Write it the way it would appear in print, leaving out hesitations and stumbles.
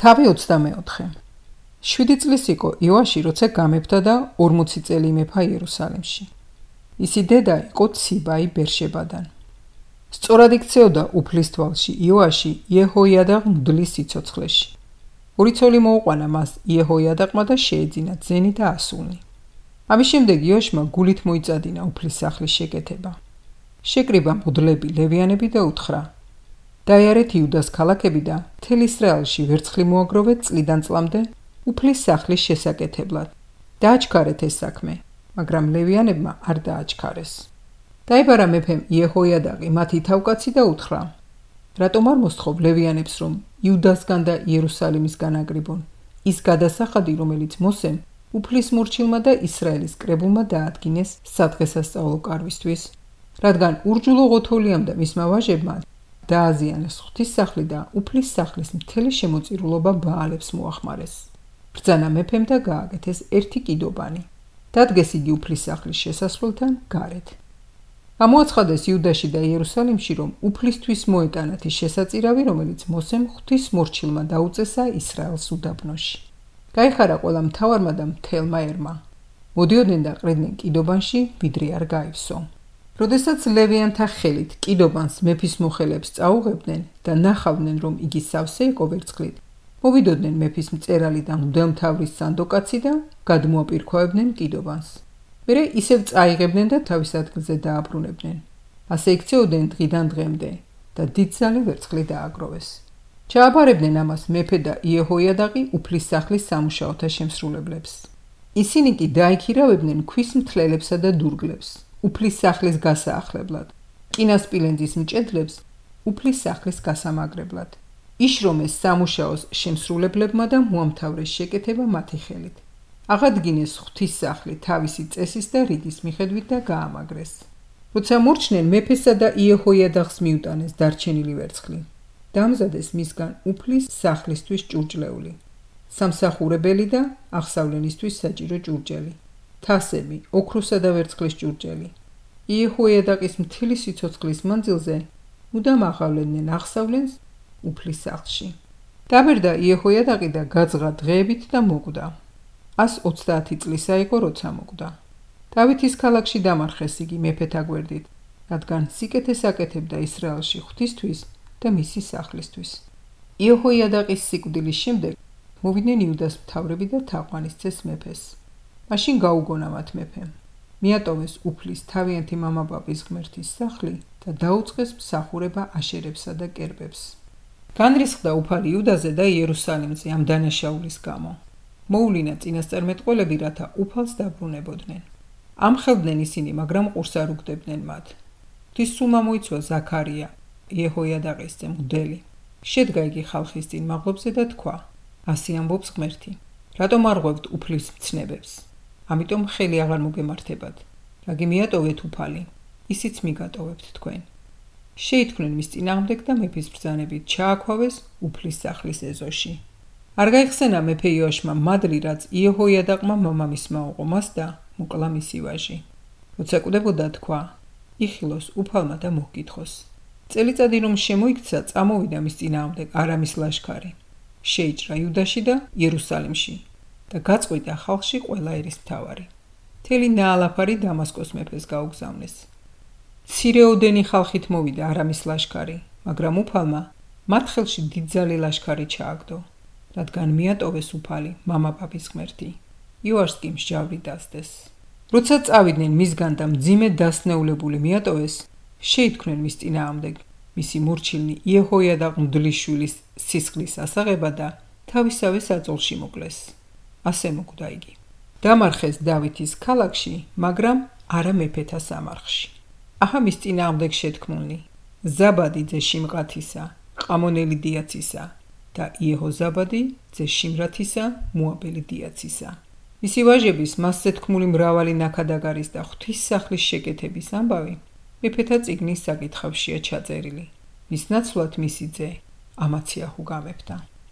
თავი 24. 7 წლის იყო იოაში, როცა გამეფდა და 40 წელი იმეფა იერუსალიმში. ისი დედა იყო ციბაი ბერშებადან. სწორად იქცეოდა უფლისთვალში იოაში იეჰოიადაღ მღვდლის სიცოცხლეში. 2 ცოლი მოუყვანა მას იეჰოიადაღმა და შეეძინა ძენი და ასულნი. ამის შემდეგ იოაშმა გულით მოიწადინა უფლის სახლის შეკეთება. შეკრიბა მღვდლები ლევიანები და უთხრა: დაიარეთ იუდას ქალაქები და მთელ ისრაელში ვერცხლი მოაგროვეთ წლიდან წლამდე უფლის სახლის შესაკეთებლად. დააჩქარეთ ეს საქმე, მაგრამ ლევიანებმა არ დააჩქარეს. დაიბარა მეფემ იეჰოიადაღი მათი თავკაცი და უთხრა: რატომ არ მოსთხოვ ლევიანებს, რომ იუდასგან და იერუსალიმისგან აგრიბონ ის გადასახადი, რომელიც მოსემ უფლის მორჩილმა და ისრაელის კრებულმა დაადგინეს სადღესასწაულო კარვისთვის, რადგან ურჯულო ღოთოლიამ და მისმა ვაჟებმა დააზიანეს ღვთისმსახლი და უფლის სახლის მთელი შემოწირულობა ბაალებს მოახმარეს. ბრძანა მეფემ და გააკეთეს ერთი კიდობანი. დადგეს იგი უფლის სახლის შესასვლელთან გარეთ. გამოაცხადეს იუდაში და იერუსალიმში, რომ უფლისთვის მოეტანათ ის შესაწირავი, რომელიც მოსემ ღვთის მორჩილმა დაუწესა ისრაელს უდაბნოში. გაიხარა ყველა მთავარმა და მთელმა ერმა. მოდიოდნენ და ყრიდნენ კიდობანში, ვიდრე არ გაივსო. როდესაც ლევიანთა ხელით კიდობანს მეფის მოხელებს წაუღებდნენ და ნახავდნენ, რომ იგი სავსე იყო ვერცხლით, მოვიდოდნენ მეფის მწერალი და მღვდელმთავრის სანდოკაცი და გადმოაპირქვავებდნენ კიდობანს. მერე ისევ წაიღებდნენ და თავის ადგილზე დააბრუნებდნენ. ასე იქცეოდნენ დღიდან დღემდე და დიდძალი ვერცხლი დააგროვეს. ჩააბარებდნენ ამას მეფე და იეჰოიადაღი უფლის სახლის სამუშაოთა შემსრულებლებს. ისინი კი დაიქირავებდნენ ქვის მთლელებსა და დურგლებს უფლის სახლის გასაახლებლად, კინასპილენძის მჭედლებს უფლის სახლის გასამაგრებლად. იშრომეს სამუშაოს შემსრულებლებმა და მოამთავრეს შეკეთება მათი ხელით. აღადგინეს ღვთის სახლი თავისი წესის და რიგის მიხედვით და გაამაგრეს. როცა მორჩნენ მეფესა და იეჰოიადაღს მიუტანეს დარჩენილი ვერცხლი, დაამზადეს მისგან უფლის სახლისთვის ჭურჭლეული, სამსახურებელი და აღსავლენისთვის საჭირო ჭურჭელი, თასები, ოქროსა და ვერცხლის ჭურჭელი. იეჰოიადაღის მთელი სიცოცხლის მანძილზე მუდამ აღავლენდნენ აღსავლენს უფლის სახლში. დაბერდა იეჰოიადაღი და გაძღა დღეებით და მოკვდა. 130 წლისა იყო, როცა მოკვდა. დავითის ქალაქში დამარხეს იგი მეფეთა გვერდით, რადგან სიკეთეს აკეთებდა ისრაელში ღვთისთვის და მისი სახლისთვის. იეჰოიადაღის სიკვდილის შემდეგ მოვიდნენ იუდას მთავრები და თაყვანისცეს მეფეს. მაშინ გაუგონა მათ მეფემ. მიატოვეს უფლის თავიანთი მამაბაბის ღმერთის სახლი და დაუწყეს მსახურება აშერებსა და კერპებს. განრისხდა უფალი იუდაზე და იერუსალიმზე ამ დანაშაულის გამო. მოულინა წინასწარმეტყველები, რათა უფალს დაბრუნებოდნენ. ამხელდნენ ისინი, მაგრამ ყურს არ უგდებდნენ მათ. ღვთის სულმა მოიცვა ზაქარია, იეჰოიადაღის ძე მღვდელი. შედგა იგი ხალხის წინ მაღლობზე და თქვა: ასე ამბობს ღმერთი, რატომ არ ღვევთ უფლის მცნებებს? ამიტომ ხელი აღარ მოგემართებათ. რაგი მიატოვეთ უფალი, ისიც მიგატოვებთ თქვენ. შეითქმნენ მის წინააღმდეგ და მეფის ბრძანებით ჩააქვავეს უფლის სახლის ეზოში. არ გაიხსენა მეფე იოაშმა მადლი, რაც იეჰოიადაღმა მამამისმა უყო მას და მოკლა მისი ვაჟი. როცა კვდებოდა, თქვა: იხილოს უფალმა და მოგკითხოს. წელიწადი რომ შემოიქცა, წამოვიდა მის წინააღმდეგ არამის ლაშქარი. შეიჭრა იუდაში და იერუსალიმში და გაწყვიტა ხალხში ყველა ერისმთავარი. მთელი ნაალაფარი დამასკოს მეფეს გაუგზავნეს. მცირეოდენი ხალხით მოვიდა არამის ლაშქარი, მაგრამ უფალმა მათ ხელში დიდძალი ლაშქარი ჩააგდო, რადგან მიატოვეს უფალი მამაბაბის ღმერთი. იოაშს კი მსჯავრი დასდეს. როცა წავიდნენ მისგან და მძიმე დასნეულებული მიატოვეს, შეითქმნენ მის წინააღმდეგ მისი მორჩილნი იეჰოიადაღ მღვდლის შვილის სისხლის ასაღება და თავისავე საწოლში მოკლეს. ასე მოკვდა იგი. დამარხეს დავითის ქალაქში, მაგრამ არა მეფეთა სამარხში. აჰა მის წინააღმდეგ შეთქმულნი: ზაბადი ძე შიმყათისა, ყამონელი დიაცისა და იეჰოზაბადი ძე შიმრათისა, მოაბელი დიაცისა. მისი ვაჟების მასზე თქმული მრავალი ნაქადაგარის და ღვთის სახლის შეკეთების ამბავი მეფეთა წიგნის საკითხავშია ჩაწერილი. მის ნაცვლად მისი ძე ამაციაჰუ გამეფდა.